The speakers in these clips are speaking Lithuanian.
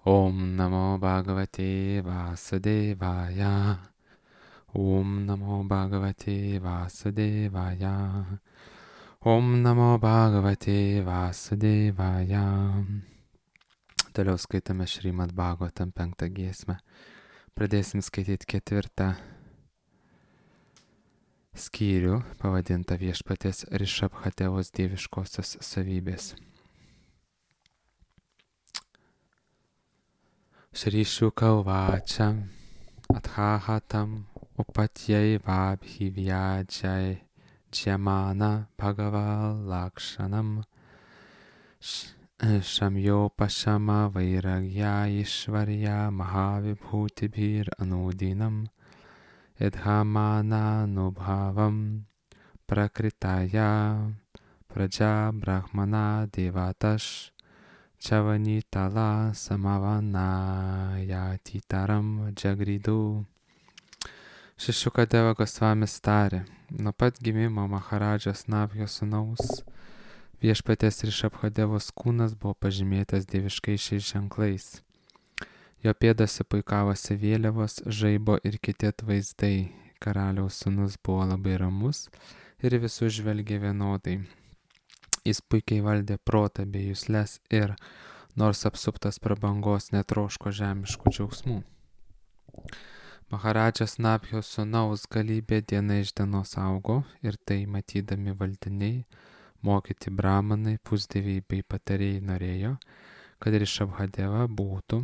Om Namo Bhagavate Vasudevaya. Om Namo Bhagavate Vasudevaya. Om Namo Bhagavate Vasudevaya. Toliau skaitame Šrimad Bhagavatam 5 giesmę. Pradėsim skaityti 4 skyrių, pavadintą Viešpaties Rišabhatevos dieviškosios savybės. Shri Shuka Uvacha Athahatam Upatjai Vabhivyajai Jyamana Bhagaval Lakshanam Shamyo Pashama Vairagya Ishvarya Mahavibhutibhir Anudinam Edhamana Nubhavam Prakritaya Praja Brahmana Devatash Chavanitala Samavanayatitaram Jagridu. Šešukadeva Gosvamis tarė, nuo pat gimimo Maharadžos Nabhjo sūnaus Viešpaties Rišabhatevos kūnas buvo pažymėtas dieviškais ženklais. Jo pėdose puikavosi vėliavos, žaibo ir kiti atvaizdai. Karaliaus sūnus buvo labai ramus ir visus žvelgė vienodai. Jis puikiai valdė protą bei jusles ir, nors apsuptas prabangos, netroško žemiškų džiaugsmų. Maharadžas Nabhjo sūnaus galybė diena iš dienos augo ir tai matydami valdiniai, mokyti brahmanai, pusdieviai bei patarėjai norėjo, kad Rišabhateva būtų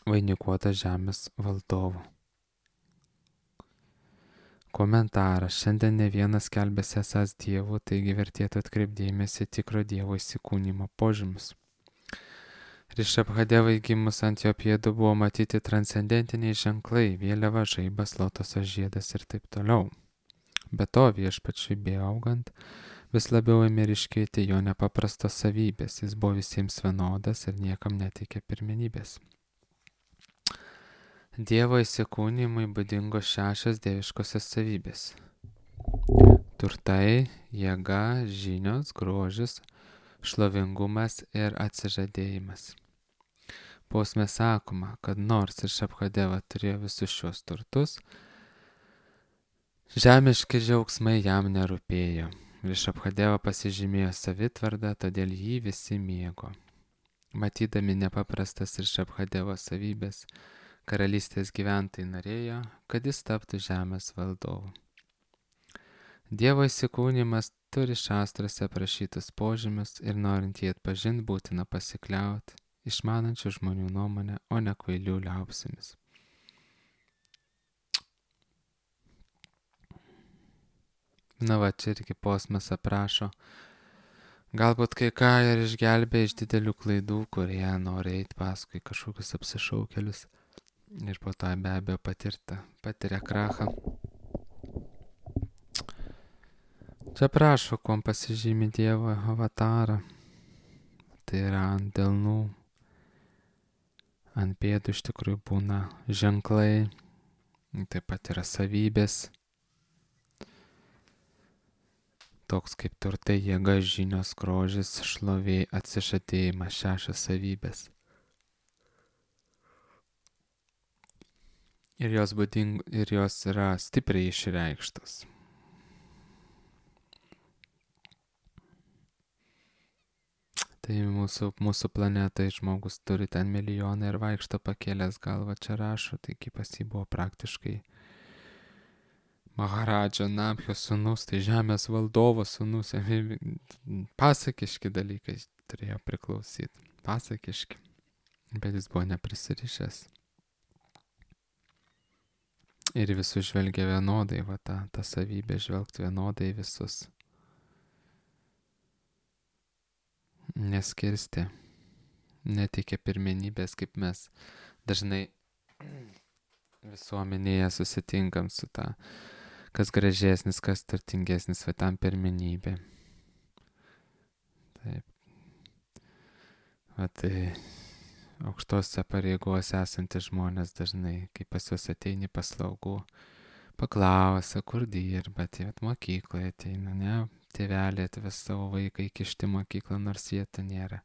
vainikuota žemės valdovu. Komentaras. Šiandien ne vienas skelbėsi esąs dievų, taigi vertėtų atkreipdėmėsi tikro dievo įsikūnymo požymius. Rišabhatevai gimus ant jo pėdų buvo matyti transcendentiniai ženklai, vėliava, žaibas, lotoso žiedas ir taip toliau. Be to Viešpačiui beaugant vis labiau ėmė ryškėti jo nepaprastos savybės, jis buvo visiems vienodas ir niekam neteikė pirmenybės. Dievo įsikūnymui būdingos 6 dieviškosios savybės. Turtai, jėga, žinios, grožis, šlovingumas ir atsižadėjimas. Posme sakoma, kad nors Rišabhateva turėjo visus šios turtus, žemiški džiaugsmai jam nerūpėjo. Rišabhateva pasižymėjo savitvardą, todėl jį visi mėgo. Matydami nepaprastas Rišabhatevos savybės, karalystės gyventojai norėjo, kad jis taptų žemės valdovu. Dievo įsikūnymas turi šastrose aprašytus požymius ir norint jį atpažinti būtina pasikliauti išmanančių žmonių nuomonę, o ne kvailių liaupsėmis. Na va, čia irgi posmas aprašo, galbūt kai ką ir išgelbė iš didelių klaidų, kurie nori eiti paskui kažkokius apsišaukėlius. Ir po to be abejo patiria krachą. Čia prašo, kuom pasižymi Dievo avatarą. Tai yra ant delnų, ant pėdų iš tikrųjų būna ženklai, taip pat yra savybės. Toks kaip turtai, jėga, žinios, grožis, šlovė, atsižadėjimas, 6 savybės. Ir jos yra stipriai išreikštos. Tai mūsų planetai žmogus turi ten milijoną ir vaikšto pakėlęs galvą, čia rašo, taigi pas jį buvo praktiškai Maharadža Nabhjo sūnus, tai žemės valdovo sūnus, pasakiški dalykai turėjo priklausyti, pasakiški, bet jis buvo neprisirišęs. Ir visus žvelgia vienodai, va ta savybė žvelgti vienodai visus. Neskirstė, neteikė pirmenybės, kaip mes dažnai visuomenėje susitinkam su ta, kas gražesnis, kas turtingesnis, va tam pirmenybė. Taip. Va tai aukštose pareigose esantys žmonės dažnai, kai pas juos ateini paslaugų, paklausia, kur dirba, tai mokykloje ateina, ne, tėvelė atves savo vaiką įkišti mokyklą, nors jie ten nėra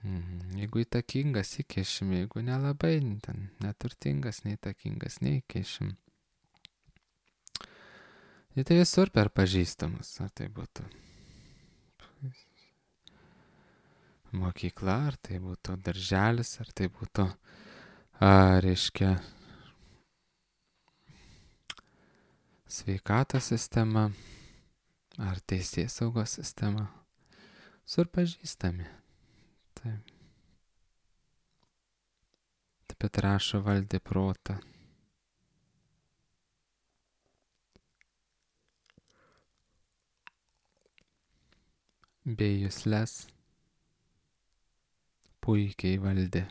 Jeigu įtakingas, įkešim, jeigu nelabai, ten neturtingas, neįtakingas, neįkešim. Ir tai visur per pažįstamus, ar tai būtų mokykla, ar tai būtų darželis, ar tai būtų, reiškia, sveikatos sistema, ar teisėsaugos sistema. Visur pažįstami. Taip. Taip pat rašo valdė protą. Bei jusles puikiai valdė,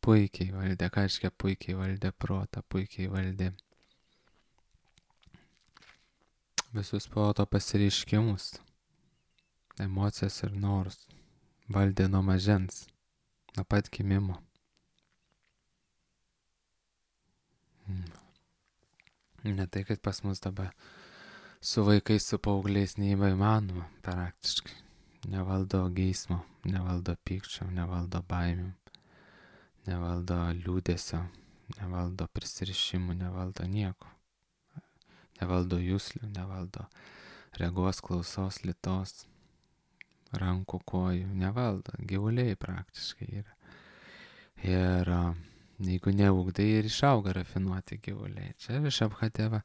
ką reiškia puikiai valdė protą, puikiai valdė visus proto pasireiškimus, emocijas ir norus, valdė nuo mažens, nuo pat gimimo. Ne tai, kad pas mus dabar su vaikais, su paaugliais neįmanoma praktiškai. Nevaldo geismo, nevaldo pykčio, nevaldo baimių, nevaldo liūdesio, nevaldo prisirišimų, nevaldo nieko. Nevaldo juslių, nevaldo regos, klausos, lytos, rankų, kojų, nevaldo. Gyvuliai praktiškai yra. Ir jeigu neugdai, ir išauga rafinuoti gyvuliai. Čia Rišabhadeva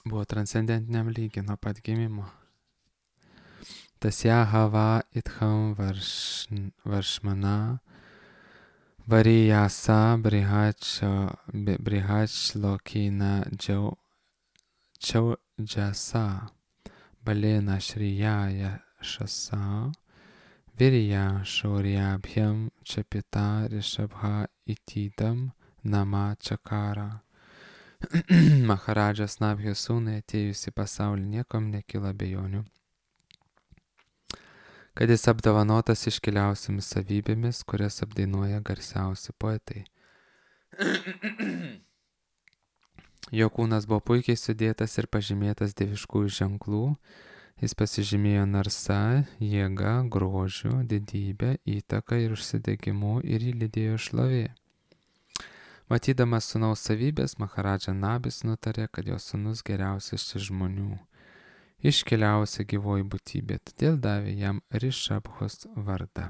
buvo transcendentiniam lygiai nuo pat gimimo. Tasya hava itham varšmana varijasa brihachlokina džiaujasa balena šriyaya šasa virya šauryabhyam čapita Rishabha itidam nama čakara. Maharadžas Nabhio sūnui atėjus į pasaulį niekam nekyla abejonių, kad jis apdovanotas iškiliausiamis savybėmis, kurias apdainuoja garsiausi poetai. Jo kūnas buvo puikiai sudėtas ir pažymėtas dieviškųjų ženklų, jis pasižymėjo narsa, jėga, grožiu, didybė, įtaka ir užsidegimu ir jį lydėjo šlovė. Matydamas sūnaus savybės, Maharadža Nabis nutarė, kad jo sūnus geriausias iš žmonių, iškiliausia gyvoji būtybė, todėl davė jam Rishabhos vardą.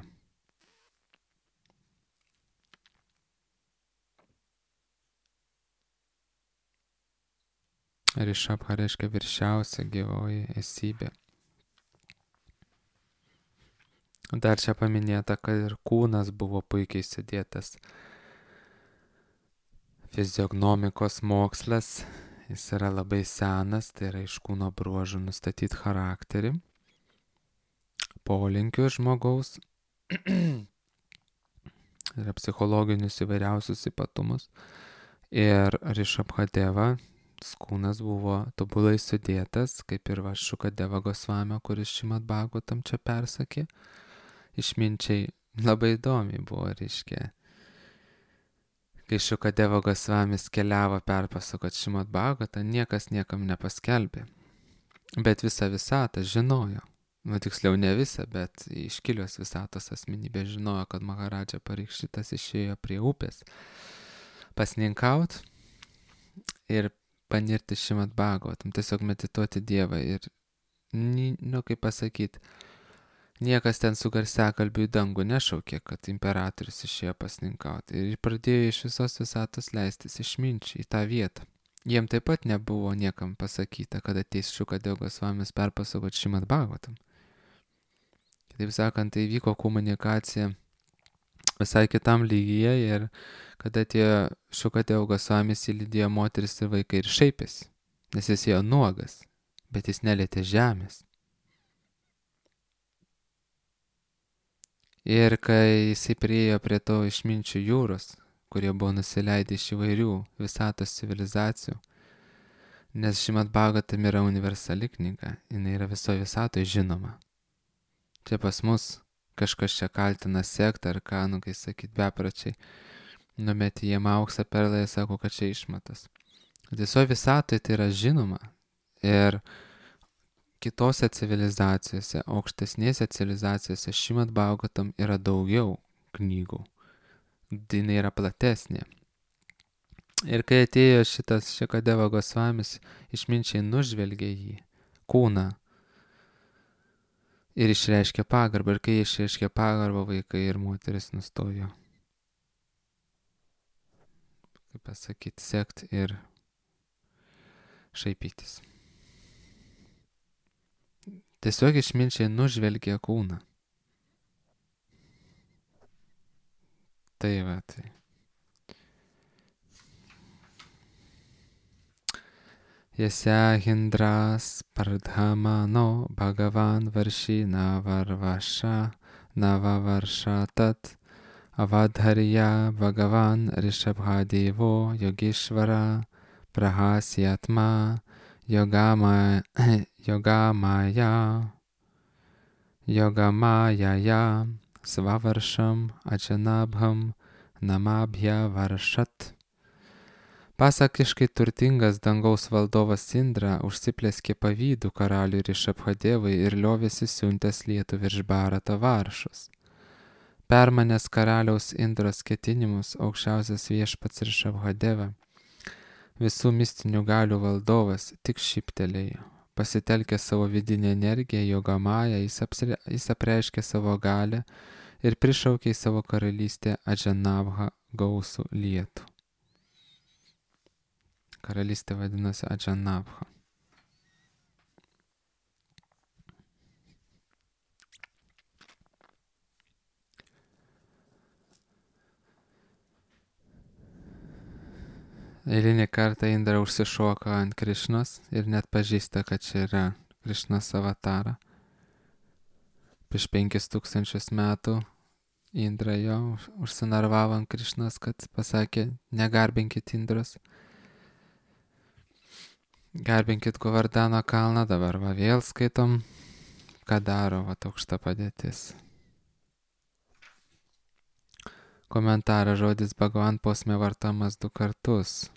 Rishabha reiškia viršiausia gyvoji esybė. Dar čia paminėta, kad ir kūnas buvo puikiai sudėtas. Fiziognomikos mokslas, jis yra labai senas, tai yra iš kūno bruožų nustatyti charakterį, polinkių žmogaus, yra psichologinius įvairiausius ypatumus. Ir Rishabhadeva kūnas buvo tobulai sudėtas, kaip ir Šukadeva Gosvamio, kuris Šrimad Bhagavatam čia persakė. Išminčiai labai įdomiai buvo, reiškia. Kai Šukadeva Gosvamis keliavo perpasakot Šrimad Bhagavatą, niekas niekam nepaskelbė. Bet visą visatą žinojo. Tiksliau ne visą, bet iškilios visatos asmenybė žinojo, kad Maharadža Parikšitas išėjo prie upės pasninkaut ir panirti Šrimad Bhagavatam, tiesiog medituoti Dievą. Ir, kaip pasakyti, niekas ten su garsiakalbiu į dangų nešaukė, kad imperatorius išėjo pasninkauti. Ir pradėjo iš visos visatos leistis išminčiai į tą vietą. Jiem taip pat nebuvo niekam pasakyta, kad ateis Šukadeva Gosvamis perpasakot Šrimad Bhagavatam. Taip sakant, tai vyko komunikacija visai kitam lygyje ir kada atėjo Šukadeva Gosvamis, įlydėjo moteris ir vaikai ir šaipėsi, nes jis ėjo nuogas, bet jis nelietė žemės. Ir kai jisai priėjo prie to išminčių jūros, kurie buvo nusileidę iš įvairių visatos civilizacijų, nes Šrimad Bhagavatam yra universali knyga, jinai yra visoje visatoje žinoma. Čia pas mus kažkas čia kaltina sektą ar ką, kai sakyt, bepračiai, numetė jiem auksą perlą ir sako, kad čia išmatas. Visoje visatoje tai yra žinoma. Ir kitose civilizacijose, aukštesnėse civilizacijose Šrimad Bhagavatam yra daugiau knygų. Jinai yra platesnė. Ir kai atėjo šitas Šukadeva Gosvamis, išminčiai nužvelgė jį, kūną, ir išreiškė pagarbą. Ir kai išreiškė pagarbą, vaikai ir moteris nustojo, kaip pasakyti, sekti ir šaipytis. Tiesiog išminčiai nužvelgė kūną. Tai va, tai. Yasya hindras pardhamano bhagavan varshina varvasha navavarša tat avadharya bhagavan rishabhadevo yogeshvara prahasyatma yogamaya svavaršam ajanabham namabhya varšat. Pasakiškai turtingas dangaus valdovas Indra užsipleskė pavydų karaliui Rishabhadevui ir liovėsi siuntęs lietų virš Bharato varšus. Permanęs karaliaus Indros ketinimus, aukščiausias viešpats Rishabhadeva, visų mistinių galių valdovas, tik šyptelėjo. Pasitelkė savo vidinę energiją, Jogamają, jis apreiškė savo galią ir prišaukė į savo karalystę Ajanabha gausų lietų. Karalystė vadinasi Ajanabha. Eilinį kartą Indra užsišoka ant Krišnos ir net pažįsta, kad čia yra Krišnos avatara. Prieš 5000 metų Indra jo užsinarvavo ant Krišnos, kad pasakė, negarbinkit Indros. Garbinkit Govardhano kalną, dabar va vėl skaitom, ką daro va aukšta padėtis. Komentaras žodis Bhagavan posme vartojamas 2 kartus.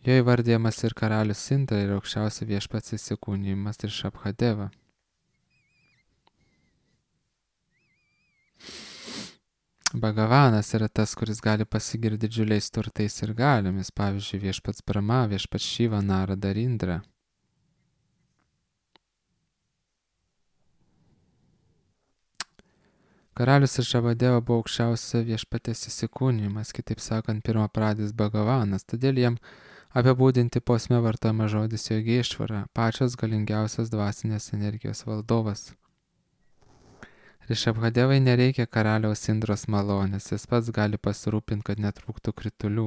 Jo įvardyjamas ir karalius Indra ir aukščiausia viešpats įsikūnijimas Rishabhadeva. Bhagavanas yra tas, kuris gali pasigirti didžiuliais turtais ir galiomis, pavyzdžiui, viešpats Brahma, viešpats Šiva, Narada ir Indra. Karalius Rishabhadeva buvo aukščiausia viešpatės įsikūnijimas, kitaip sakant, pirmapradis Bhagavanas, todėl jam apibūdinti posme vartojama žodis Yogeshvara, pačios galingiausios dvasinės energijos valdovas. Rishabhadevai nereikia karaliaus Indros malonės, jis pats gali pasirūpinti, kad netrūktų kritulių,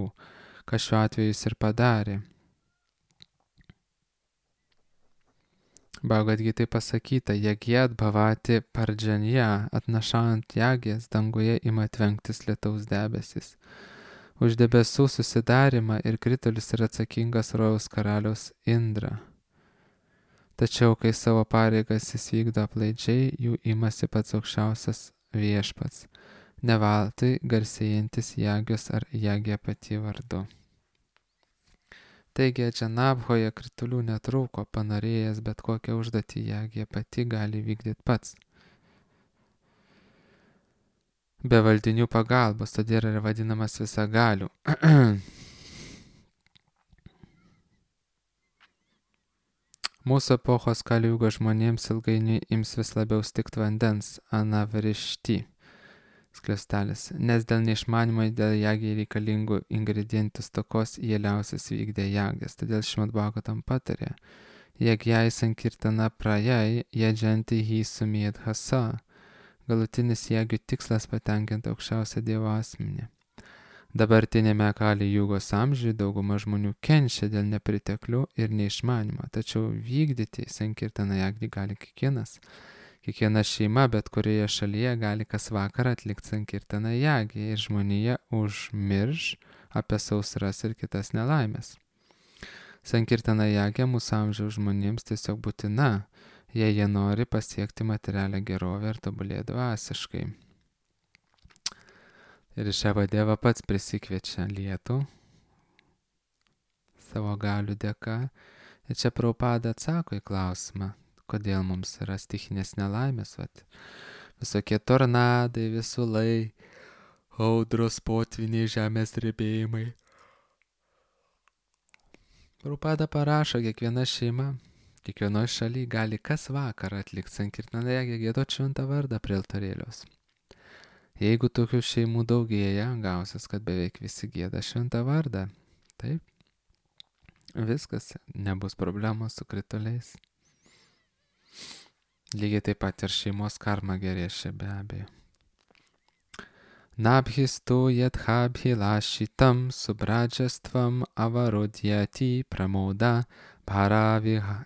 ką šiuo atveju jis ir padarė. Bhagavad Gitai pasakyta, jagyat bhavati pardžanya, atnašant jagės, danguje ima tvenktis lietaus debesis. Už debesų susidarimą ir kritulius yra atsakingas rojaus karaliaus Indra. Tačiau, kai savo pareigas jis vykdo aplaidžiai, jų imasi pats aukščiausias viešpats, nevaltai garsėjantis Jagios ar Jagė pati vardu. Taigi, Ajanabhoje kritulių netrūko, panorėjęs bet kokią užduotį Jagė pati gali vykdyti pats. Be valdinių pagalbos, todėl yra vadinamas visagaliu. Mūsų epochos Kaliugo žmonėms ilgainiui ims vis labiau stigti vandens, anavrišti, skliaustelis, nes dėl neišmanimo dėl jagiai reikalingų ingredientų stokos jie liausis vykdė jagės. Todėl Šrimad Bhagavatam patarė, jagjai sankirtana prajai, jadžanti hi sumėdhasa, galutinis jagių tikslas patenkinti aukščiausią Dievo asmenį. Dabartinėme Kali Jugos amžiuje dauguma žmonių kenčia dėl nepriteklių ir neišmanimo, tačiau vykdyti sankirtaną jagnį gali kiekvienas. Kiekviena šeima bet kurioje šalyje gali kas vakarą atlikti sankirtaną jagnį ir žmonija užmirš apie sausras ir kitas nelaimės. Sankirtana jagnė mūsų amžiaus žmonėms tiesiog būtina, jei jie nori pasiekti materialią gerovę ir tobulėti dvasiškai. Ir Rishabhadeva pats prisikviečia lietų savo galių dėka. Ir čia Prabhupada atsako į klausimą, kodėl mums yra stichinės nelaimės, visokie tornadai, visulai, audros, potviniai, žemės drebėjimai. Prabhupada parašo, kiekviena šeima, kiekvienoje šalyje gali kas vakarą atlikti sankirtnąją, giedoti šventą vardą prie altorėlios. Jeigu tokių šeimų daugėja, gausis, kad beveik visi gieda šventą vardą. Taip, viskas, nebus problemos su krituliais. Lygiai taip pat ir šeimos karma gerės čia be abejo. Nabhistu yadhabhilashitam subradžastvam avarodhyati pramoda bhara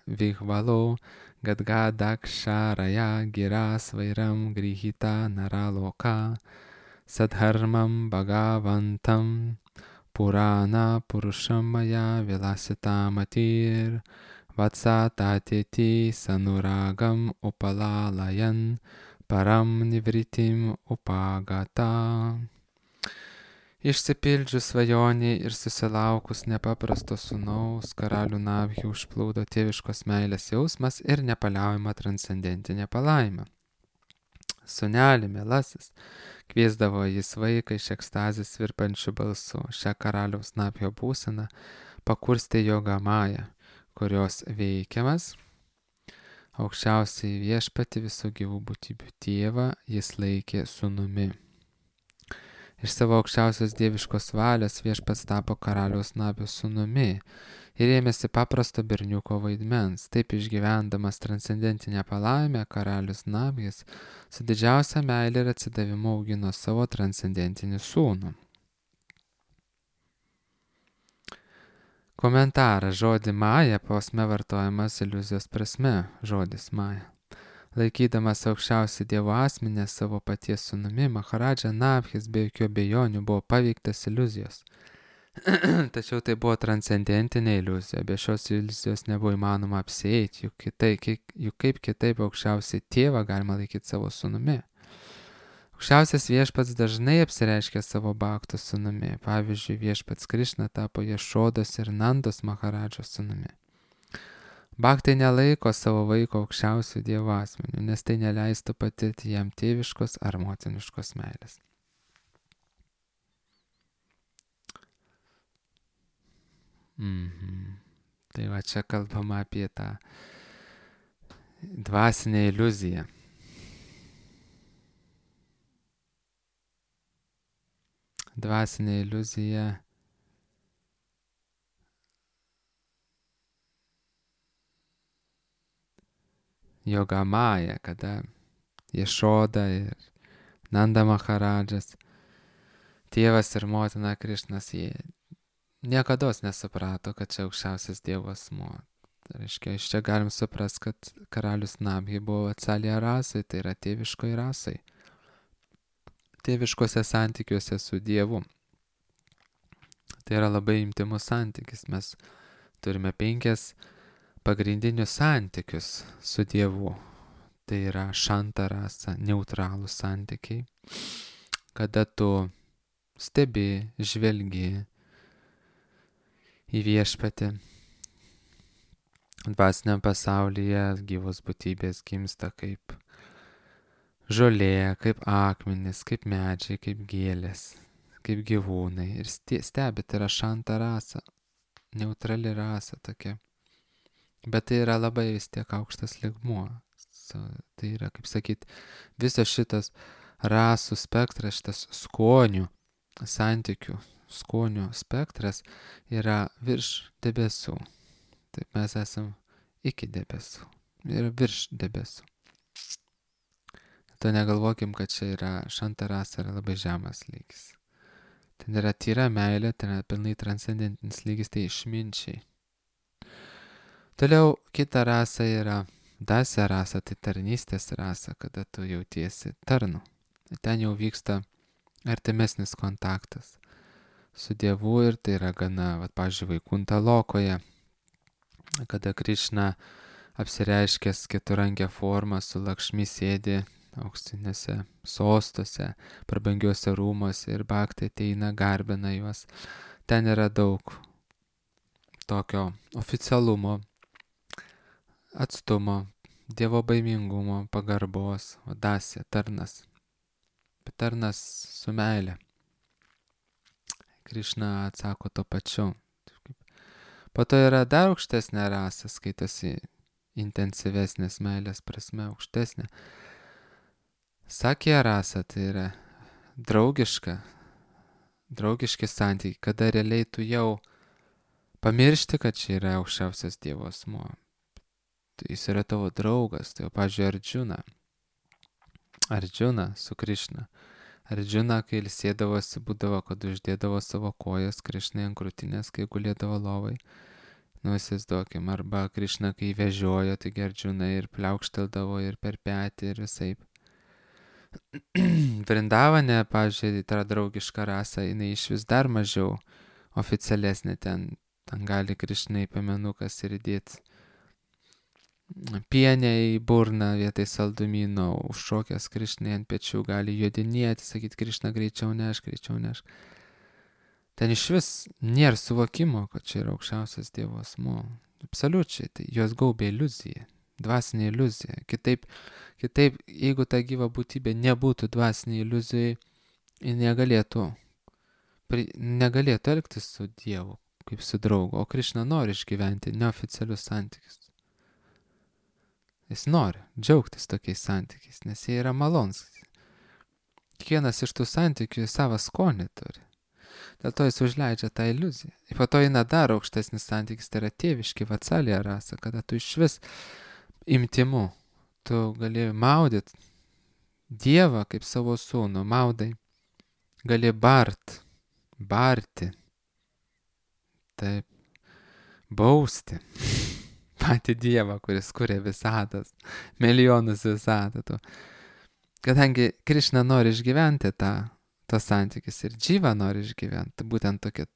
vihvalo gadgadaksharaya giras vairam grihita naraloka sadharmam bhagavantam purana purusham maya vilasitamatir vatsatatiti sanuragam upalalayan param nivritim upagata. Išsipildžius svajonį ir susilaukus nepaprasto sūnaus, karalių Nabhį užplūdo tėviškos meilės jausmas ir nepaliaujama transcendentinė palaima. Sūneli, mielasis, kviesdavo jis vaiką iš ekstazės virpančių balsų. Šią karaliaus Nabhio būseną pakurstė Joga Maja, kurios veikiamas aukščiausiai viešpatį visų gyvų būtybių tėvą jis laikė sūnumi. Iš savo aukščiausios dieviškos valios viešpats tapo karaliaus Nabhio sūnumi ir ėmėsi paprasto berniuko vaidmens. Taip išgyvendamas transcendentinę palaimę, karalius Nabhis su didžiausia meilė ir atsidavimu augino savo transcendentinį sūnų. Komentaras. Žodį Maja posme vartojamas iliuzijos prasme. Žodis Maja. Laikydamas aukščiausią Dievo asmenį savo paties sūnumi, Maharadža Nabhis be jokių abejonių buvo paveiktas iliuzijos. Tačiau tai buvo transcendentinė iliuzija. Be šios iliuzijos nebuvo įmanoma apsieiti, juk kaip kitaip aukščiausią tėvą galima laikyti savo sūnumi. Aukščiausias viešpats dažnai apsireiškia savo bhaktų sūnumi. Pavyzdžiui, viešpats Krišna tapo Ješodos ir Nandos Maharadžos sūnumi. Bhaktai nelaiko savo vaiko aukščiausių Dievo asmenių, nes tai neleistų patirti jam tėviškos ar motiniškos meilės. Tai va čia kalbama apie tą dvasinę iliuziją. Dvasinė iliuzija Joga Maja, kada Ješoda ir Nanda Maharadžas, tėvas ir motina Krišnas, jie niekados nesuprato, kad čia aukščiausias Dievo asmuo. Tai reiškia, iš čia galim suprasti, kad karalius Nabhi buvo Vatsalya rasai, tai yra tėviškoji rasai. Tėviškose santykiuose su Dievu. Tai yra labai intymus santykis. Mes turime 5 pagrindinius santykius su Dievu. Tai yra šanta rasa, neutralūs santykiai. Kada tu stebi, žvelgi į viešpatį. Dvasiniam pasaulyje gyvos būtybės gimsta kaip žolė, kaip akmenys, kaip medžiai, kaip gėlės, kaip gyvūnai. Ir stebi, tai yra šanta rasa, neutrali rasa tokia. Bet tai yra labai vis tiek aukštas lygmuo. Tai yra, kaip sakyt, visas šitas rasų spektras, šitas skonių, santykių, skonių spektras yra virš debesų. Taip mes esam iki debesų ir virš debesų. To negalvokim, kad čia yra šanta rasa, yra labai žemas lygis. Ten yra tyra meilė, ten yra pilnai transcendentinis lygis, tai išminčiai. Toliau kita rasa yra dasya rasa, tai tarnystės rasa, kada tu jautiesi tarnu. Ten jau vyksta artimesnis kontaktas su Dievu ir tai yra gana, pavyzdžiui, Vaikunta lokoje, kada Krišna apsireiškęs keturangę formą su Lakšmi sėdi auksinėse sostuose, prabangiuose rūmuose ir bhaktai ateina, garbina juos. Ten yra daug tokio oficialumo, atstumo, Dievo baimingumo, pagarbos, dasė, tarnas. Bet tarnas su meile. Krišna atsako to pačiu. Po to yra dar aukštesnė rasė, skaitosi intensyvesnės meilės prasme, aukštesnė. Sakė rasė, tai yra draugiški santykiai, kada realiai tu jau pamiršti, kad čia yra aukščiausias Dievo asmuo. Jis yra tavo draugas, tai jau, pavyzdžiui, Arjuna su Krišna. Arjuna, kai ilsėdavosi, būdavo, kad uždėdavo savo kojas Krišnai ant krūtinės, kai gulėdavo lovai. Įsivaizduokim, arba Krišna, kai vežiojo, taigi Arjuna ir pliaukšteldavo ir per petį ir visaip. Vrindavane, pavyzdžiui, ta draugiška rasa, jinai iš vis dar mažiau oficialesnė, ten gali Krišnai piemenukas ir įdėti pienę į burną vietoj saldumyno, užšokęs Krišnai ant pečių gali jodinėti, sakyti Krišna greičiau nešk. Ten iš vis nėra suvokimo, kad čia yra aukščiausias Dievo asmuo. Absoliučiai, tai jos gaubia iliuzija, dvasinė iliuzija. Kitaip, jeigu ta gyva būtybė nebūtų dvasinė iliuzija, ji negalėtų elgtis su Dievu kaip su draugu. O Krišna nori išgyventi neoficialius santykius. Jis nori džiaugtis tokiais santykiais, nes jie yra malonūs. Kiekvienas iš tų santykių savo skonį turi. Dėl to jis užleidžia tą iliuziją. Ir po to eina dar aukštesnis santykis, tai yra tėviški vatsalė rasa, kada tu iš vis imtimu, tu gali maudyti Dievą kaip savo sūnų, maudai, gali barti, taip, bausti patį Dievą, kuris kuria visatas, milijonus visatų. Kadangi Krišna nori išgyventi tas santykis ir Dživa nori išgyventi, būtent tokia,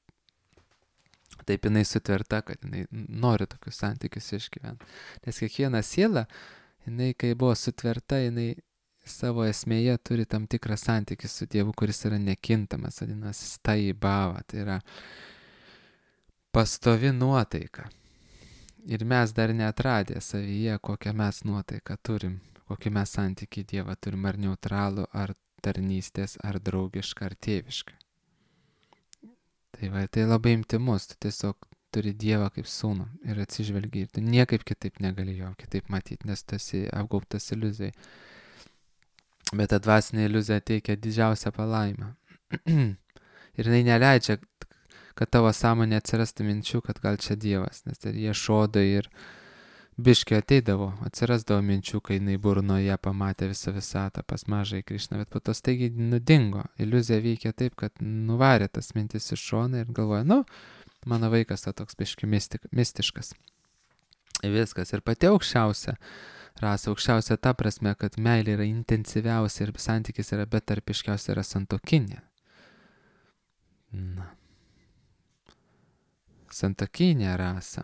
taip jinai sutverta, kad jinai nori tokius santykius išgyventi. Nes kiekviena siela, jinai kai buvo sutverta, jinai savo esmėje turi tam tikrą santykį su Dievu, kuris yra nekintamas, vadinasi, stai bhava, tai yra pastovi nuotaika. Ir mes dar neatradę savyje, kokią mes nuotaiką turim, kokį mes santykį Dievą turim, ar neutralų, ar tarnystės, ar draugišką, ar tėvišką. Tai labai intimus, tu tiesiog turi Dievą kaip sūnų ir atsižvelgi, ir tu niekaip kitaip negali jo kitaip matyti, nes tu esi apgaubtas iliuzijai. Bet ta dvasinė iliuzija teikia didžiausią palaimą. Ir jinai neleidžia, kad tavo sąmonė atsirastų minčių, kad gal čia Dievas, nes jie šodo ir biškiai atsirasdavo minčių, kai jinai burnoje pamatė visą visatą pas mažąjį Krišną, bet po to staigiai nudingo. Iliuzija veikia taip, kad nuvarė tas mintis iš šoną ir galvoja, mano vaikas toks biškiai mistiškas. Ir viskas. Ir pati aukščiausia rasa, aukščiausia ta prasme, kad meilė yra intensyviausia ir santykis yra betarpiškiausia, yra santuokinė. Santuokinė rasa.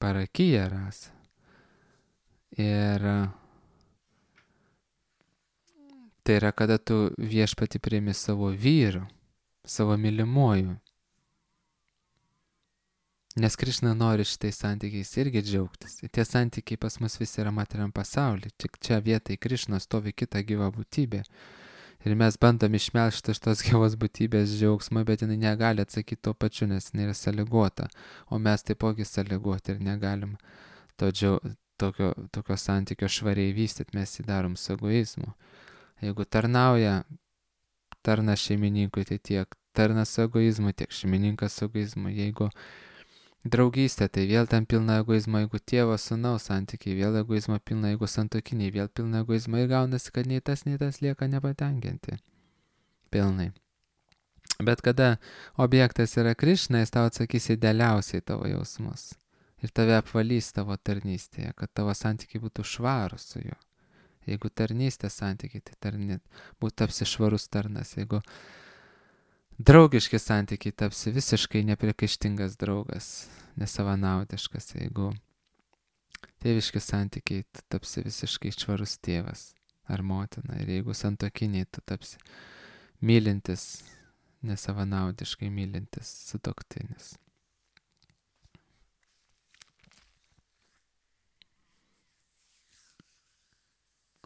Parakyja rasa. Ir tai yra, kada tu viešpatį priimi savo vyru, savo mylimuoju. Nes Krišna nori šitais santykiais irgi džiaugtis. Tie santykiai pas mus visi yra materiam pasaulyje. Tik čia vietoj Krišnos stovi kita gyva būtybė. Ir mes bandom išmelžti iš tos gyvos būtybės džiaugsmą, bet jinai negali atsakyti tuo pačiu, nes jinai yra sąlygota. O mes taipogi sąlygoti ir negalim tokio santykio švariai vystyti, mes jį darom su egoizmu. Jeigu tarnas šeimininkui, tai tiek tarnas su egoizmu, tiek šeimininkas su egoizmu. Jeigu draugystė, tai vėl ten pilna egoizmo, jeigu tėvo sūnaus santykiai, vėl egoizmo pilna, jeigu santuokiniai, vėl pilna egoizmo, ir gaunasi, kad nei tas lieka nepatenkinti. Pilnai. Bet kada objektas yra Krišna, jis tau atsakys idealiausiai tavo jausmus. Ir tave apvalys tavo tarnystėje, kad tavo santykiai būtų švarus su juo. Jeigu tarnystės santykiai, tai tapsi švarus tarnas. Jeigu draugiški santykiai, tapsi visiškai nepriekaištingas draugas, nesavanaudiškas. Jeigu tėviški santykiai, tu tapsi visiškai švarus tėvas ar motina. Ir jeigu santuokiniai, tu tapsi mylintis, nesavanaudiškai mylintis sutuoktinis.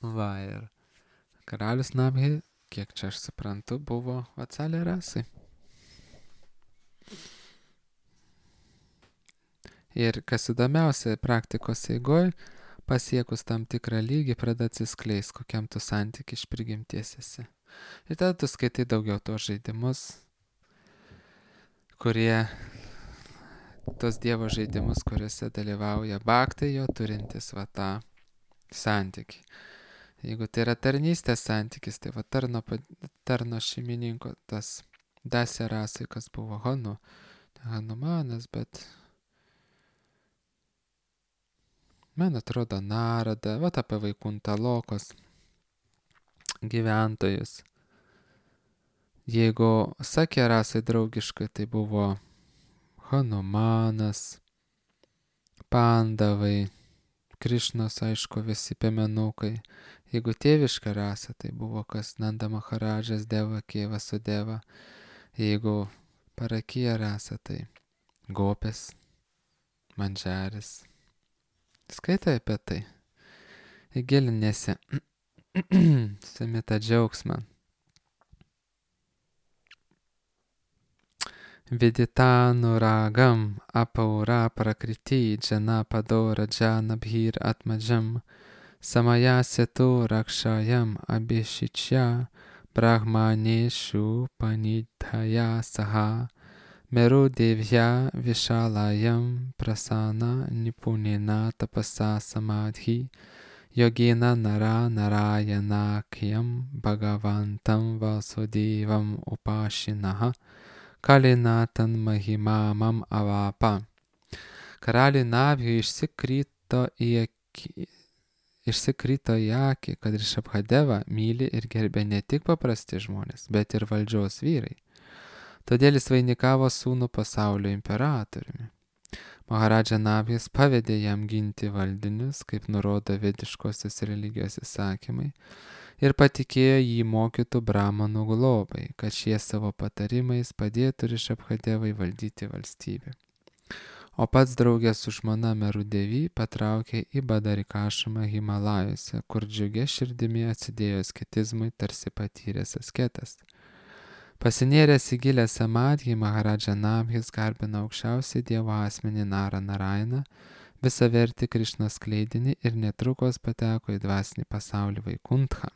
Va, ir karalius Nabhi, kiek čia aš suprantu, buvo Vatsalė rasai. Ir kas įdomiausia, praktikos eigoj, pasiekus tam tikrą lygį, pradeda atsiskleis, kokiam tu santykiai iš prigimties esi. Ir tada tu skaitai daugiau tos žaidimus, tos Dievo žaidimus, kuriuose dalyvauja bhaktai jo turintis va tą santykį. Jeigu tai yra tarnystės santykis, tai va tarno šeimininko tas Dasya rasai, kas buvo Hanumanas, bet man atrodo Narada, va apie Vaikuntalokos gyventojus. Jeigu Sakya rasai draugiškai, tai buvo Hanumanas, Pandavai, Krišnos, aišku, visi piemenukai. Jeigu tėviška rasa, tai buvo kas Nanda Maharadžas, Devaki, Vasudeva. Jeigu Parakija rasa, tai Gopės, Mandžaris. Skaitai apie tai. Įgilinėsi. Semi tą džiaugsmą. Viditanu ragam apaura prakriti džana padora džana bhir atmajam samaya setu rakshayam abhishichya brahmaneshu panidhaya saha meru devya vishalayam prasana nipunena tapasa samadhi yogena nara narayanakyam bhagavantam vasudevam upashinaha Kalinatan mahimamam avapa. Karaliui Nabhiui išsikrito į akį, kad Rišabhadeva myli ir gerbė ne tik paprasti žmonės, bet ir valdžios vyrai. Todėl jis vainikavo sūnų pasaulio imperatoriumi. Maharadža Nabhis pavedė jam ginti valdinius, kaip nurodo vediškosios religijos įsakymai, ir patikėjo jį mokytų brahmanų globai, kad šie savo patarimais padėtų Rišabhadevai valdyti valstybę. O pats draugė su žmona Merudevy patraukė į Badarikašamą Himalajuose, kur džiugia širdimi atsidėjo asketizmui, tarsi patyręs asketas. Pasinėręs į gilę samadhį, Maharadža Nabhis garbino aukščiausią Dievo asmenį Narą Narainą, visavertį Krišnos skleidinį ir netrukus pateko į dvasinį pasaulį Vaikuntchą.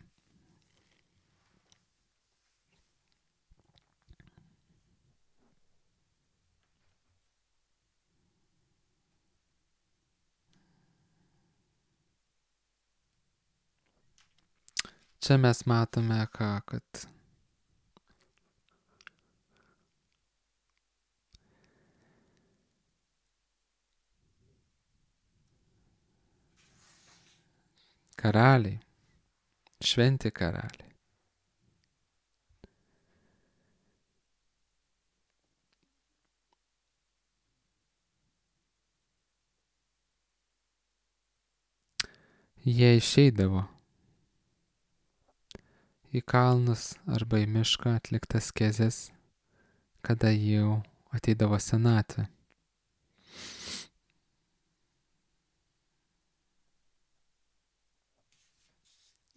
Čia mes matome kad karaliai, šventi karaliai, jie išeidavo į kalnus arba į mišką atliktas kezės, kada jau ateidavo senatvė.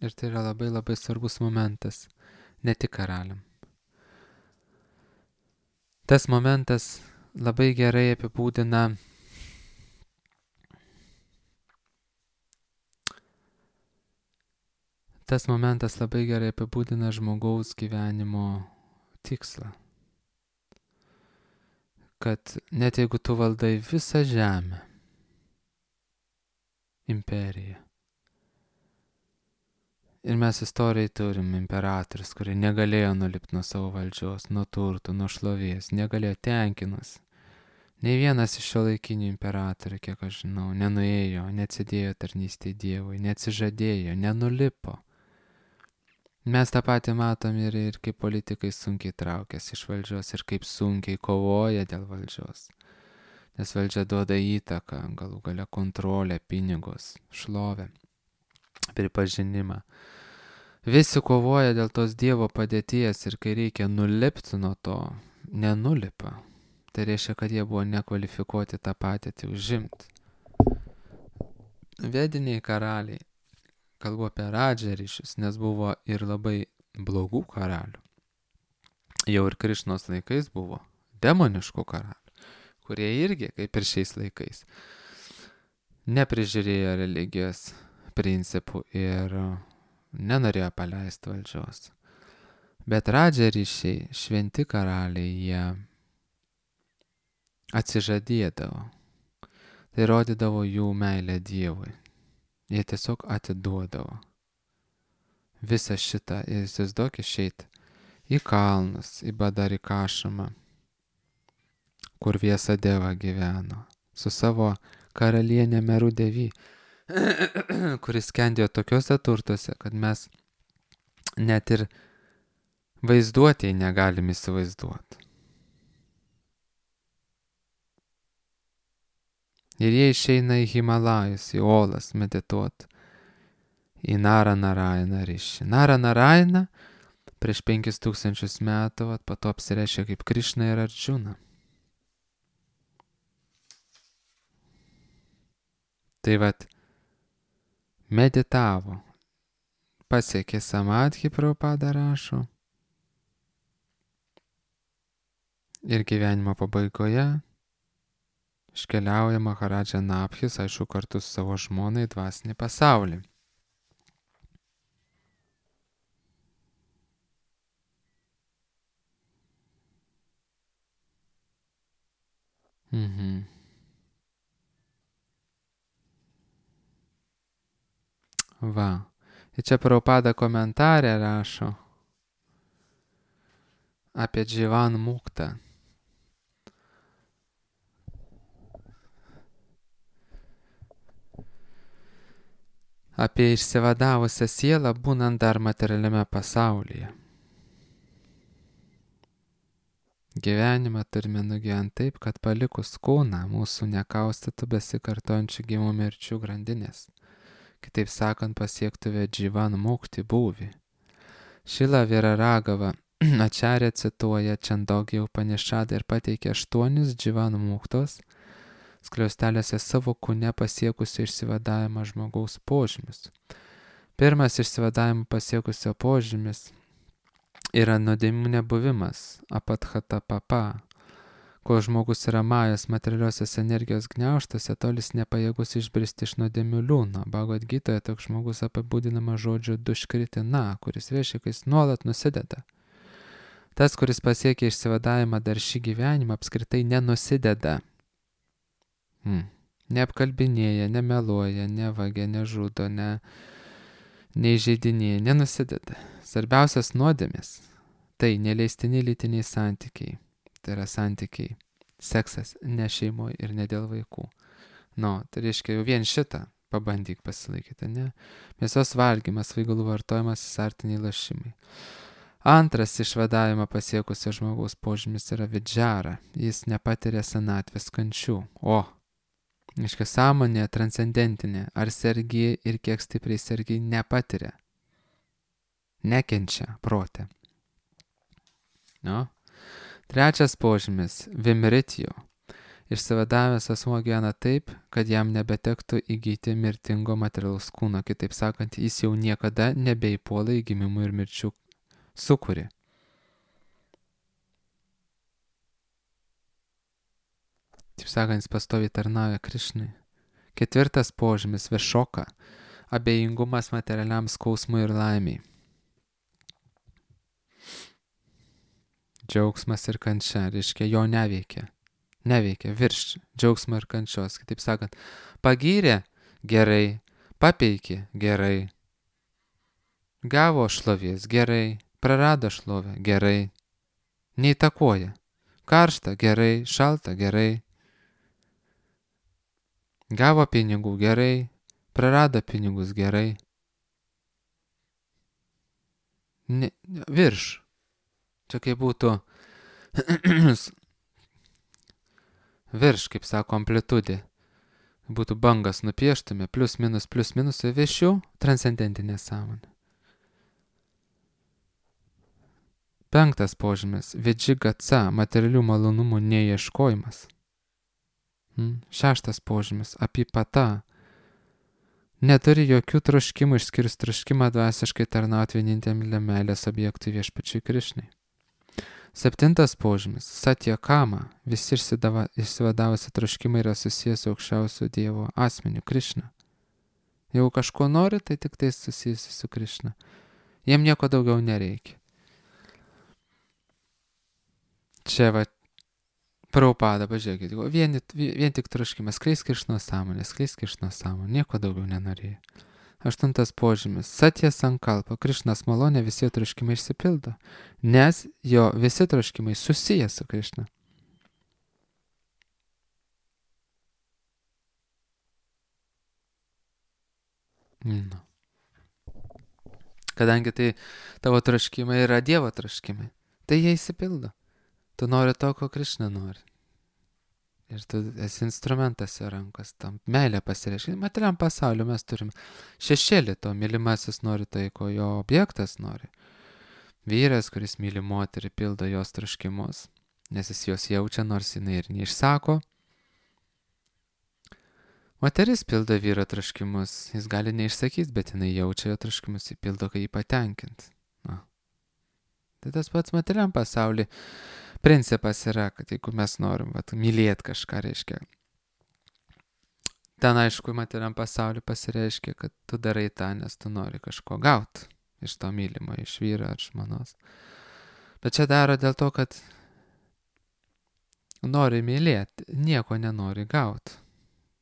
Ir tai yra labai labai svarbus momentas, ne tik karaliam. Tas momentas labai gerai apibūdina žmogaus gyvenimo tikslą. Kad net jeigu tu valdai visą žemę, imperiją, ir mes istorijai turim imperatorius, kurie negalėjo nulipti nuo savo valdžios, nuo turtų, nuo šlovės, negalėjo tenkinus. Nei vienas iš šiuolaikinių imperatorių, kiek aš žinau, nenuėjo, neatsidėjo tarnystei Dievui, neatsižadėjo, nenulipo. Mes tą patį matom ir kaip politikai sunkiai traukiasi iš valdžios ir kaip sunkiai kovoja dėl valdžios. Nes valdžia duoda įtaką, galų gale kontrolę, pinigus, šlovę, pripažinimą. Visi kovoja dėl tos Dievo padėties ir kai reikia nulipti nuo to, nenulipa. Tai reiškia, kad jie buvo nekvalifikuoti tą padėtį užimti. Vediniai karaliai, kalbu apie Radžą ryšius, nes buvo ir labai blogų karalių. Jau ir Krišnos laikais buvo demoniškų karalių, kurie irgi, kaip ir šiais laikais, neprižiūrėjo religijos principų ir nenorėjo paleisti valdžios. Bet Radža ryšiai, šventi karaliai, jie atsižadėdavo. Tai rodydavo jų meilę Dievui. Jie tiesiog atiduodavo visą šitą. Ir įsivaizduok išeit į kalnus, į Badarikašamą, kur Viesadeva gyveno, su savo karalienė Merudevy, kuris skendėjo tokiuose turtuose, kad mes net ir vaizduotėj negalim įsivaizduoti. Ir jie išeina į Himalajus, į Olas medituoti, į Naranarajaną ryšį. Naranarajaną prieš 5000 metų, po to apsireiškia kaip Krišna ir Arjuna. Tai meditavo, pasiekė samadhi, Prabhupada rašo, ir gyvenimo pabaigoje iškeliauja Maharadža Nabhis, aišku, kartu su savo žmona į dvasinį pasaulį. Va. Ir čia Prabhupada komentarė rašo apie Dživan Muktą. Apie išsivadavusią sielą būnant dar materialiame pasaulyje. Gyvenimą turime nugyventi taip, kad palikus kūną mūsų nekaustytų besikartojančių gimimų mirčių grandinės. Kitaip sakant, pasiektuve Dživan Mukti būvį. Šila Viraragava Ačarė cituoja Čandogija Upanišadą ir pateikia 8 Dživan Muktos skliausteliuose savo kūne pasiekusio išsivadavimą žmogaus požymis. Pirmas išsivadavimą pasiekusio požymis yra nuodėmių nebuvimas, apatchata papa. Kol žmogus yra majas materialiosios energijos gniaužtuose, tol jis nepajėgus išbristi iš nuodėmių liūno. Bhagavad Gitoje toks žmogus apibūdinama žodžiu duškritina, kuris reiškia, kad jis nuolat nusideda. Tas, kuris pasiekia išsivadavimą dar šį gyvenimą, apskritai nenusideda. Neapkalbinėja, nemeluoja, nevagia, nežudo, neįžeidinėja, nenusideda. Svarbiausias nuodėmės - tai neleistini lytiniai santykiai. Tai yra santykiai, seksas ne šeimoje ir ne dėl vaikų. Tai reiškia jau vien šitą pabandyk pasilaikyti, ne? Mėsos valgymas, svaigalų vartojimas, azartiniai lošimai. Antras išvadavimą pasiekusio žmogaus požymis yra vidžara. Jis nepatiria senatvės kančių. Reiškia sąmonė transcendentinė, ar sergi ir kiek stipriai sergi nepatiria. Nekenčia prote. Trečias požymis - vimritio. Išsivadavęs asmuo gyvena taip, kad jam nebetektų įgyti mirtingo materialaus kūno. Kitaip sakant, jis jau niekada nebeįpuola į gimimų ir mirčių sūkurį. Taip sakant, jis pastoviai tarnauja Krišnai. Ketvirtas požymis - višoka. Abejingumas materialiam skausmui ir laimiai. Džiaugsmas ir kančia, reiškia, jo neveikia virš džiaugsmo ir kančios. Kitaip sakant, pagyrė gerai, papeikė gerai, gavo šlovės gerai, prarado šlovę gerai, neįtakoja, karšta gerai, šalta gerai, gavo pinigų gerai, prarado pinigus gerai, virš. Čia kaip būtų virš, kaip sako, amplitudė. Būtų bangas nupieštume, plius minus, viršių transcendentinė sąmonė. Penktas požymis - vidžigatsa, materialių malonumų neieškojimas. Šeštas požymis - apipata, neturi jokių troškimų išskyrus troškimą dvasiškai tarnauti vieninteliam meilės objektui Viešpačiui Krišnai. 7 požymis - Satya Kama. Visi išsivadavusi troškimai yra susijęs su aukščiausiu Dievo asmeniu Krišna. Jeigu kažko nori, tai tik tai susijusi su Krišna. Jiem nieko daugiau nereikia. Čia va, Prabhupada, pažiūrėkit, vien tik troškimas, skleisk Krišnos sąmonę, nieko daugiau nenorėjo. 8 požymis - Satya Sankalpa. Krišnas malonė, visi troškimai išsipildo, nes jo visi troškimai susiję su Krišna. No. Kadangi tai tavo troškimai yra Dievo troškimai, tai jie išsipildo. Tu nori to, ko Krišna nori. Ir tu esi instrumentas jo rankos, tam meilė pasireiškia. Materialiam pasauliu mes turim šešėlį to, mylimasis nori tai, ko jo objektas nori. Vyras, kuris myli moterį, pildo jos troškimus, nes jis jos jaučia, nors jinai ir neišsako. Moteris pildo vyro troškimus, jis gali neišsakyti, bet jinai jaučia jo troškimus, jį pildo, kai jį patenkint. Na. Tai tas pats materialiam pasauliu. Principas yra, kad jeigu mes norim mylėti kažką, reiškia, ten aišku, materialiam pasauliu pasireiškia, kad tu darai tą, nes tu nori kažko gauti iš to mylimo, iš vyro ar žmonos. Bet čia daro dėl to, kad nori mylėti, nieko nenori gauti.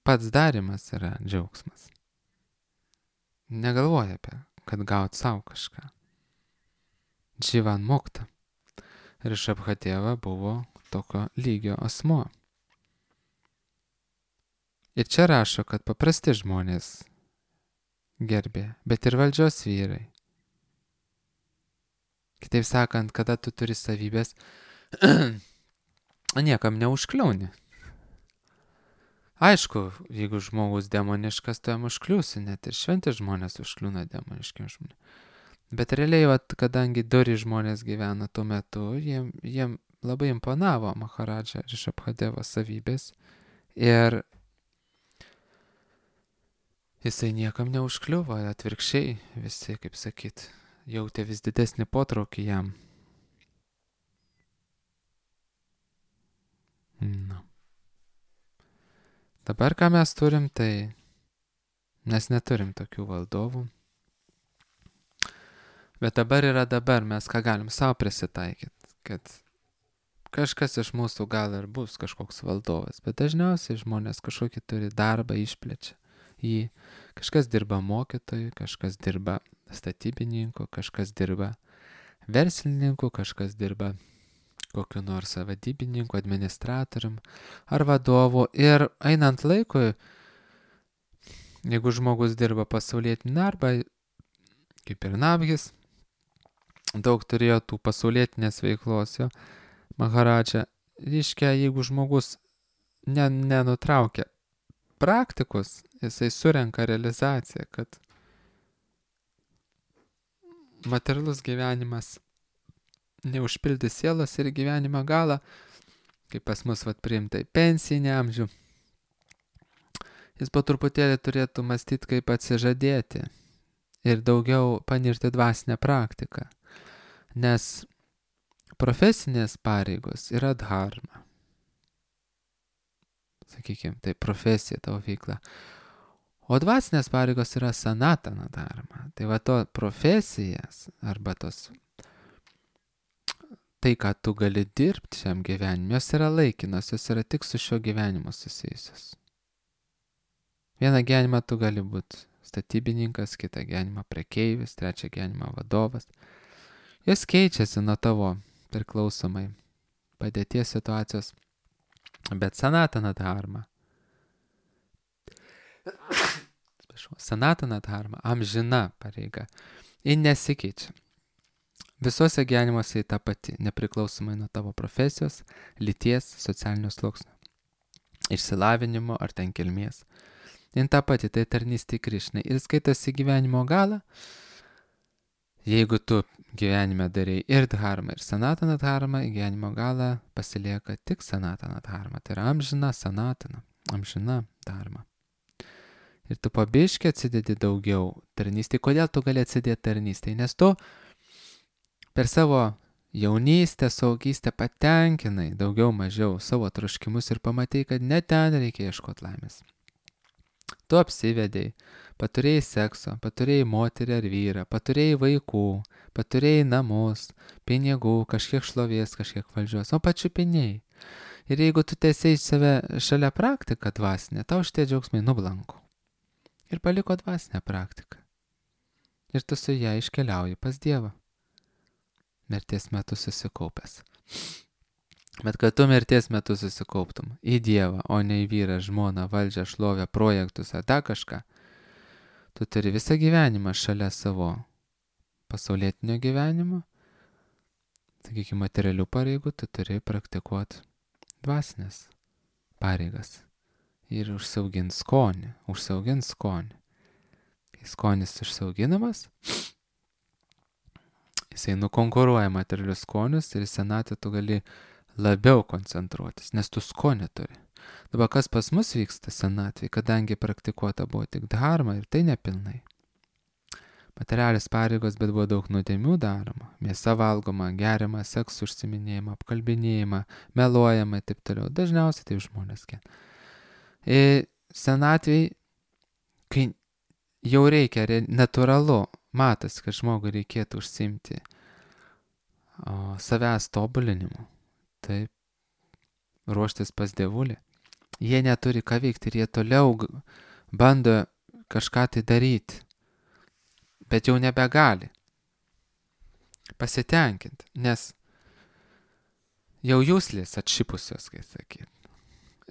Pats darimas yra džiaugsmas. Negalvoja apie, kad gauti savo kažką. Dživan Mukta. Rišabhateva buvo tokio lygio asmuo. Ir čia rašo, kad paprasti žmonės gerbė, bet ir valdžios vyrai. Kitaip sakant, kada tu turi savybės, niekam neužkliauni. Aišku, jeigu žmogus demoniškas, tu jam užkliūsi, net ir šventi žmonės užkliūna demoniškiam žmonėm. Bet realiai, kadangi dori žmonės gyvena tuo metu, jiem labai imponavo Maharadža Rišabhadevo savybės ir jisai niekam neužkliuvo, atvirkščiai visi, kaip sakyt, jautė vis didesnį potraukį jam. No. Dabar ką mes turim, tai mes neturim tokių valdovų. Bet dabar yra dabar, mes ką galim savo prisitaikyti, kad kažkas iš mūsų gal ir bus kažkoks valdovas, bet dažniausiai žmonės kažkokį turi darbą, išplečia jį. Kažkas dirba mokytoju, kažkas dirba statybininku, kažkas dirba verslininku, kažkas dirba kokiu nors vadybininku, administratorium ar vadovu. Ir einant laikui, jeigu žmogus dirba pasaulietinį darbą, kaip ir Nabhis, daug turėjo tų pasaulietinės veiklos jo Maharadža. Reiškia, jeigu žmogus nenutraukia praktikus, jisai surenka realizaciją, kad materialus gyvenimas neužpildys sielos ir gyvenimo galą, kaip pas mus priimta į pensinį amžių. Jis po truputėlį turėtų mąstyti, kaip atsižadėti ir daugiau panirti dvasinę praktiką. Nes profesinės pareigos yra dharma. Sakykime, tai profesija, tavo veikla. O dvasinės pareigos yra sanatana dharma. Tai va to profesijas arba tos tai, ką tu gali dirbti šiam gyvenimui, jos yra laikinos, jos yra tik su šio gyvenimu susijusios. Vieną gyvenimą tu gali būti statybininkas, kitą gyvenimą prekeivis, trečią gyvenimą vadovas. Jos keičiasi nuo tavo priklausomai padėties situacijos, bet sanatana dharma, amžina pareiga, ji nesikeičia. Visuose gyvenimuose į tą patį, nepriklausomai nuo tavo profesijos, lyties, socialinio sluoksnio, išsilavinimo ar ten kilmės. Į tą patį, tai tarnystė Krišnai. Ir skaitosi gyvenimo galą, jeigu tu gyvenime darai ir dharma, ir sanatana dharma, į gyvenimo galą pasilieka tik sanatana dharma. Tai yra amžina sanatana, amžina dharma. Ir tu pabiški atsidedi daugiau tarnystėj. Kodėl tu gali atsidėti tarnystėj? Nes tu per savo jaunystę, saugystę patenkinai daugiau mažiau savo troškimus ir pamatai, kad ne ten reikia ieškoti laimės. Tu apsivedėjai, paturėjai sekso, paturėjai moterį ar vyrą, paturėjai vaikų, paturėjai namus, pinigų, kažkiek šlovės, kažkiek valdžios, o pačiupinėjai. Ir jeigu tu tiesiai save šalia praktiką dvasinę, tau šitie džiaugsmai nublanko. Ir paliko dvasinę praktiką. Ir tu su ją iškeliauji pas Dievą. Mirties metu susikaupęs. Bet kad tu mirties metu susikauptum į Dievą, o ne į vyrą, žmoną, valdžią, šlovę, projektus ar dar kažką, tu turi visą gyvenimą šalia savo pasaulietinio gyvenimo, sakykime, materialių pareigų, tu turi praktikuoti dvasinės pareigas ir užsiaugint skonį. Kai skonis užsiauginamas, jisai nukonkuruoja materialius skonius ir į senatvę tu gali labiau koncentruotis, nes tu skonį turi. Dabar kas pas mus vyksta senatvėje, kadangi praktikuota buvo tik dharma ir tai nepilnai. Materialis pareigos, bet buvo daug nuodėmių daroma. Mėsa valgoma, geriama, seksų užsiminėjama, apkalbinėjama, meluojama ir taip toliau. Dažniausiai taip žmonės kenčia. Ir senatvėje, kai jau reikia, natūralu, matosi, kad žmogui reikėtų užsiimti savęs tobulinimu. Taip, ruoštis pas Dievulį. Jie neturi ką veikti ir jie toliau bando kažką tai daryti. Bet jau nebegali pasitenkinti, nes jau jūslės atšipusios, kaip sakyt.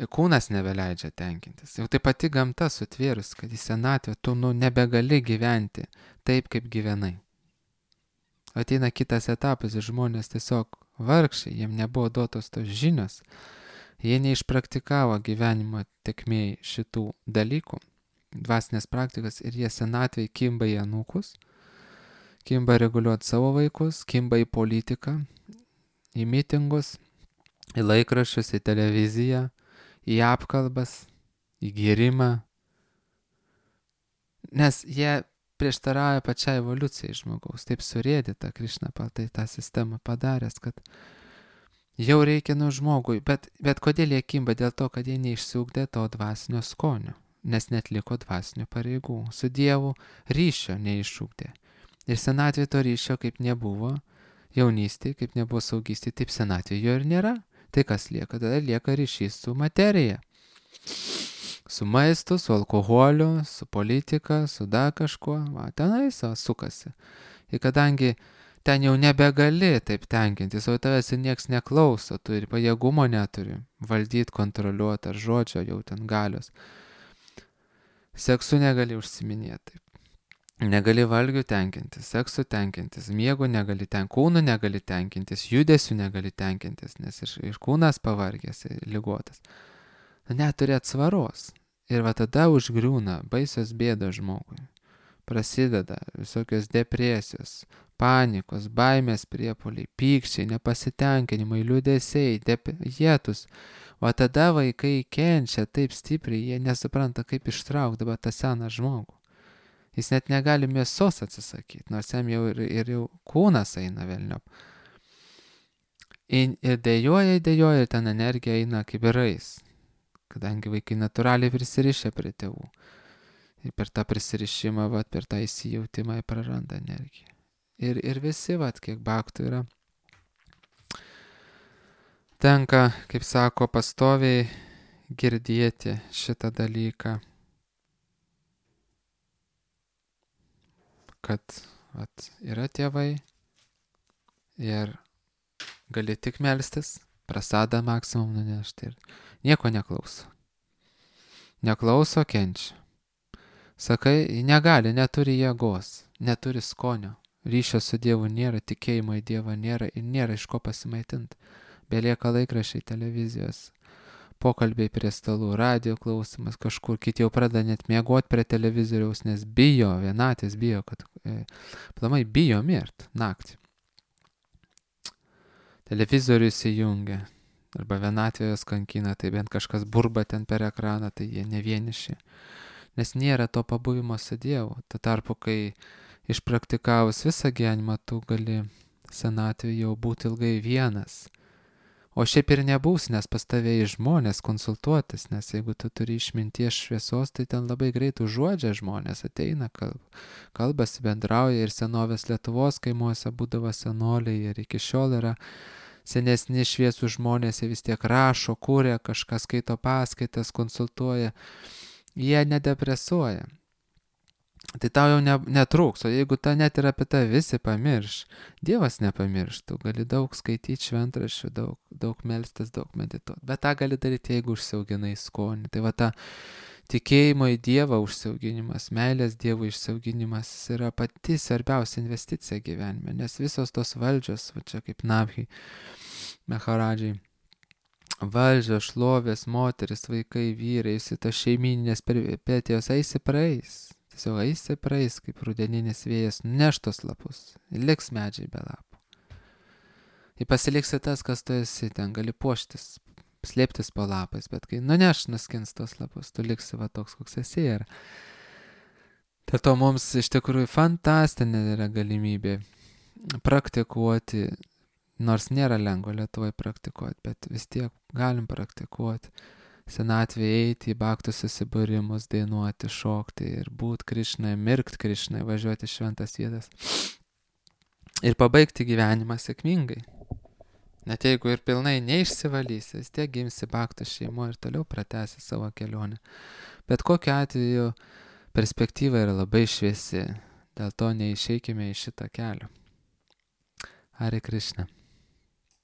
Kūnas nebeleidžia tenkintis. Jau tai pati gamta sutvėrus, kad į senatvę tu nebegali gyventi taip, kaip gyvenai. Ateina kitas etapas ir žmonės tiesiog vargšiai, jiem nebuvo duotos tos žinios, jie neišpraktikavo gyvenimo tekmėj šitų dalykų, dvasinės praktikas ir jie senatvėj kimba į anūkus, kimba reguliuoti savo vaikus, kimba į politiką, į mitingus, į laikraščius, į televiziją, į apkalbas, į gėrimą, nes jie prieštarauja pačiai evoliucijai žmogaus, taip surėdyta Krišna tai tą sistemą padaręs, kad jau reikia žmogui, bet kodėl jie kimba? Dėl to, kad jie neišsiugdė to dvasinio skonio, nes netliko dvasinių pareigų, su Dievu ryšio neišugdė. Ir senatvė to ryšio kaip nebuvo, jaunystėje kaip nebuvo saugystėje, taip senatvė jo ir nėra. Tai kas lieka? Tada lieka ryšys su materija. Su maistu, su alkoholiu, su politika, su dar kažkuo. Tenais sukasi. Ir kadangi ten jau nebegali taip tenkintis, o tavęs ir nieks neklauso, tu ir pajėgumo neturi valdyti, kontroliuoti ar žodžio jau ten galios. Seksu negali užsiminėti taip. Negali valgių tenkintis, seksu tenkintis, miego negali tenkintis, kūnų negali tenkintis, judesių negali tenkintis, nes ir kūnas pavargęs, ligotas. Neturi atsvaros. Ir va tada užgriūna baisios bėdos žmogui. Prasideda visokios depresijos, panikos, baimės priepuoliai, pykčiai, nepasitenkinimai, liūdesiai, jėtus. Va tada vaikai kenčia taip stipriai, jie nesupranta, kaip ištraukti dabar tą seną žmogų. Jis net negali mėsos atsisakyti, nors jam jau ir kūnas eina velniop. Ir dėjoja, ir ten energija eina kaip rais, kadangi vaikai natūraliai prisirišia prie tėvų. Ir per tą prisirišimą, per tą įsijautimą praranda energiją. Ir visi, kiek bhaktų yra, tenka, kaip sako, pastoviai girdėti šitą dalyką, kad yra tėvai ir gali tik melstis, prasadą maksimum nunešti ir nieko neklauso. Neklauso, kenčia. Sakai, negali, neturi jėgos, neturi skonio, ryšio su Dievu nėra, tikėjimo į Dievą nėra ir nėra iš ko pasimaitinti. Belieka laikraščiai, televizijos, pokalbiai prie stalų, radio klausimas kažkur, kiti jau pradeda net miegoti prie televizoriaus, nes bijo, vienatis bijo, kad plamai bijo mirt naktį. Televizorių įsijungia, arba vienatvė jos kankina, tai bent kažkas burba ten per ekraną, tai jie ne vieniši. nes nėra to pabuvimo su Dievu. Tuo tarpu, kai išpraktikavus visą gyvenimą, tu gali senatvėje jau būti ilgai vienas. O šiaip ir nebūs, nes pas tave į žmonės konsultuotis, nes jeigu tu turi išminties šviesos, tai ten labai greit užuodžia žmonės, ateina, kalbasi, bendrauja ir senovės Lietuvos kaimuose būdavo senoliai ir iki šiol yra senesni šviesų žmonės, jie vis tiek rašo, kūrė, kažką skaito paskaitas, konsultuoja, jie nedepresuoja. Tai tau jau netrūks, o jeigu ta net ir apie tą visi pamirš, Dievas nepamirš, tu gali daug skaityti šventraščių, daug melstis, daug medituoti, bet tą gali daryti, jeigu užsiauginai skonį. Tai va ta tikėjimo į Dievą užsiauginimas, meilės Dievui išsiauginimas yra pati svarbiausia investicija gyvenime, nes visos tos valdžios, va čia kaip Nabhi, Maharadžiai, valdžios, šlovės, moteris, vaikai, vyrai, visi tos šeimininės peripetijos eisi praeis. Tiesiog eisi praeis, kaip rudeninis vėjas, neš tos lapus, liks medžiai be lapų. Ir pasiliksi tas, kas tu esi, ten gali puoštis, slėptis po lapais, bet kai nuskins tos lapus, tu liksi va toks, koks esi. Ir dėl to mums iš tikrųjų fantastinė yra galimybė praktikuoti, nors nėra lengva Lietuvoje praktikuoti, bet vis tiek galim praktikuoti. Senatvėje eiti į baktų susibūrimus, dainuoti, šokti ir būti Krišnai, mirkt Krišnai, važiuoti šventas vietas ir pabaigti gyvenimą sėkmingai. Net jeigu ir pilnai neišsivalysi, vis tiek gimsi baktų šeimo ir toliau pratęsi savo kelionę. Bet kokiu atveju perspektyva yra labai šviesi, dėl to neišeikime iš šitą kelią. Hare Krishna.